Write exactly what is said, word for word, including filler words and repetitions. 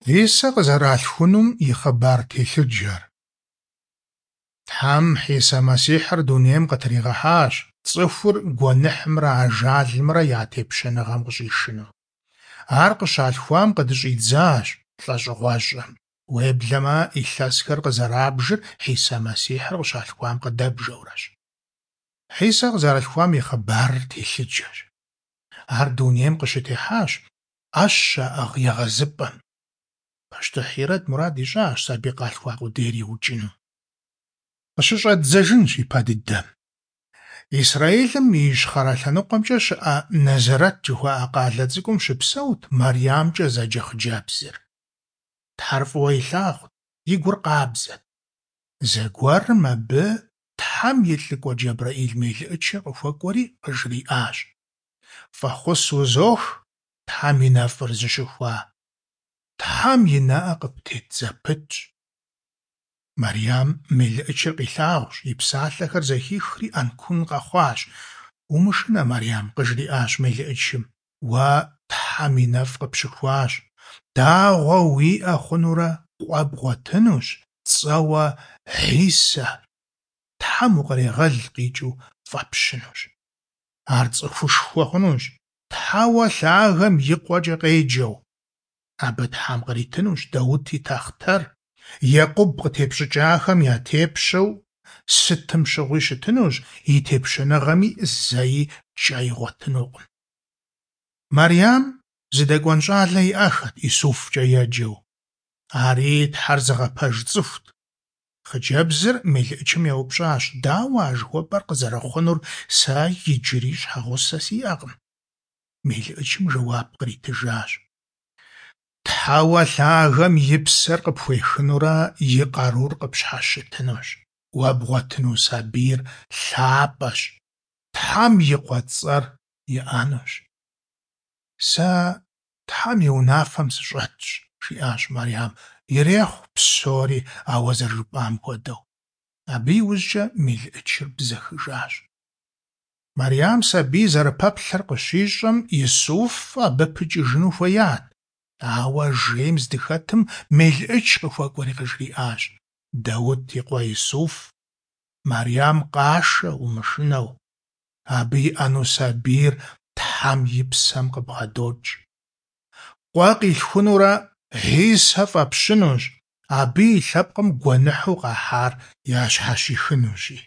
Хьисэ къызэралъхунум и хъыбар телъыджэр. Тхьэм Хьисэ Мэссихьыр дунейм къытригъэхьащ, цӀыхур гуэныхьымрэ ажалымрэ я тепщэныгъэм къыщӀишыну. Ар къыщалъхуам къыдыщӀидзащ лӀэщӀыгъуэщӀэм, уеблэмэ илъэсхэр къызэрабжыр Хьисэ Мэссихьыр къыщалъхуам къыдэбжэурэщ. Хьисэ къызэралъхуам и хъыбарыр телъыджэщ. Ар дунейм къыщытехьащ Ӏэщ щаӀыгъ егъэзыпӀэм. Пащтыхь Ирод мурад ищӀащ сабий къалъхуа къудейр иукӀыну. КъыщыщӀэддзэжынщ ипэ дыдэм. Израилым и ищхъэрэ лъэныкъуэмкӀэ щыӀэ Нэзэрэт жыхуаӀэ къалэ цӀыкӀум щыпсэут МарьямКӀэ зэджэ хъыджэбзыр. Тхьэр фӀыуэ илъагъут, и гур къабзэт. Зэгуэрым абы Тхьэм и лӀыкӀуэ ДжэбрэӀил мелыӀычыр къыхуэкӀуэри къыжриӀащ: «ФӀэхъус узох, Тхьэм и нэфӀыр зыщыхуа! Тхьэм и нэӀэ къыптет зэпытщ». Марьям мелыӀычыр къилъагъущ, и псалъэхэр зэхихри Ӏэнкун къэхъуащ. «Умышынэ, Марьям, – къыжриӀащ мелыӀычым, – уэ Тхьэм и нэфӀ къыпщыхуащ. Дагъуэ уиӀэ хъунурэ къуэ бгъуэтынущ, цӀэуэ Хьисэ «Тхьэм укърегъэл» къикӀыу фӀэпщынущ. Ар цӀыхушхуэ хъунущ, Тхьэуэ Лъагэм и къуэкӀэ къеджэу. Абы Тхьэм къритынущ Даут и тахътэр, Екъуб къытепщӀыкӀахэм я тепщэу сытым щыгъуи щытынущ, и тепщэныгъэми зэи кӀэ игъуэтынукъым». Марьям зыдэкӀуэн щӀалэ иӀэххэт ИсуфкӀэ еджэу. Ари Тхьэр зыгъэпэж цӀыхут. Хъыджэбзыр мелыӀычым еупщӀащ: «Дауэ а жыхуэпӀэр къызэрыхъунур, сэ иджыри щхьэгъусэ сиӀэкъым?» МелыӀычым жэуап къритыжащ: «Тхьэуэ Лъагэм и Псэр къыпхуехынурэ и къарур къыпщхьэщытынущ. Уэ бгъуэтыну сабийр лъапӀэщ, Тхьэм и Къуэ цӀэр иӀэнущ». «Сэ Тхьэм и унафэм сыщӀэтщ, – жиӀащ Марьям, – ирехъу псори а уэ зэрыжыпӀам хуэдэу». Абы иужькӀэ мелыӀычыр бзэхыжащ. Марьям сабий зэрыпэплъэр къыщищӀэм, Исуф абы пыкӀыжыну хуеят. Ауэ жейм здыхэтым мелыӀыч къыхуэкӀуэри къыжриӀащ: «Даут и къуэ Исуф, Марьям къашэ умышынэу. Абы иӀэну сабийр Тхьэм и Псэм къыбгъэдокӀ. Къуэ къилъхунурэ Хьисэ фӀэпщынущ, абы и лъэпкъым гуэныхьу къахьар ящхьэщихынущи».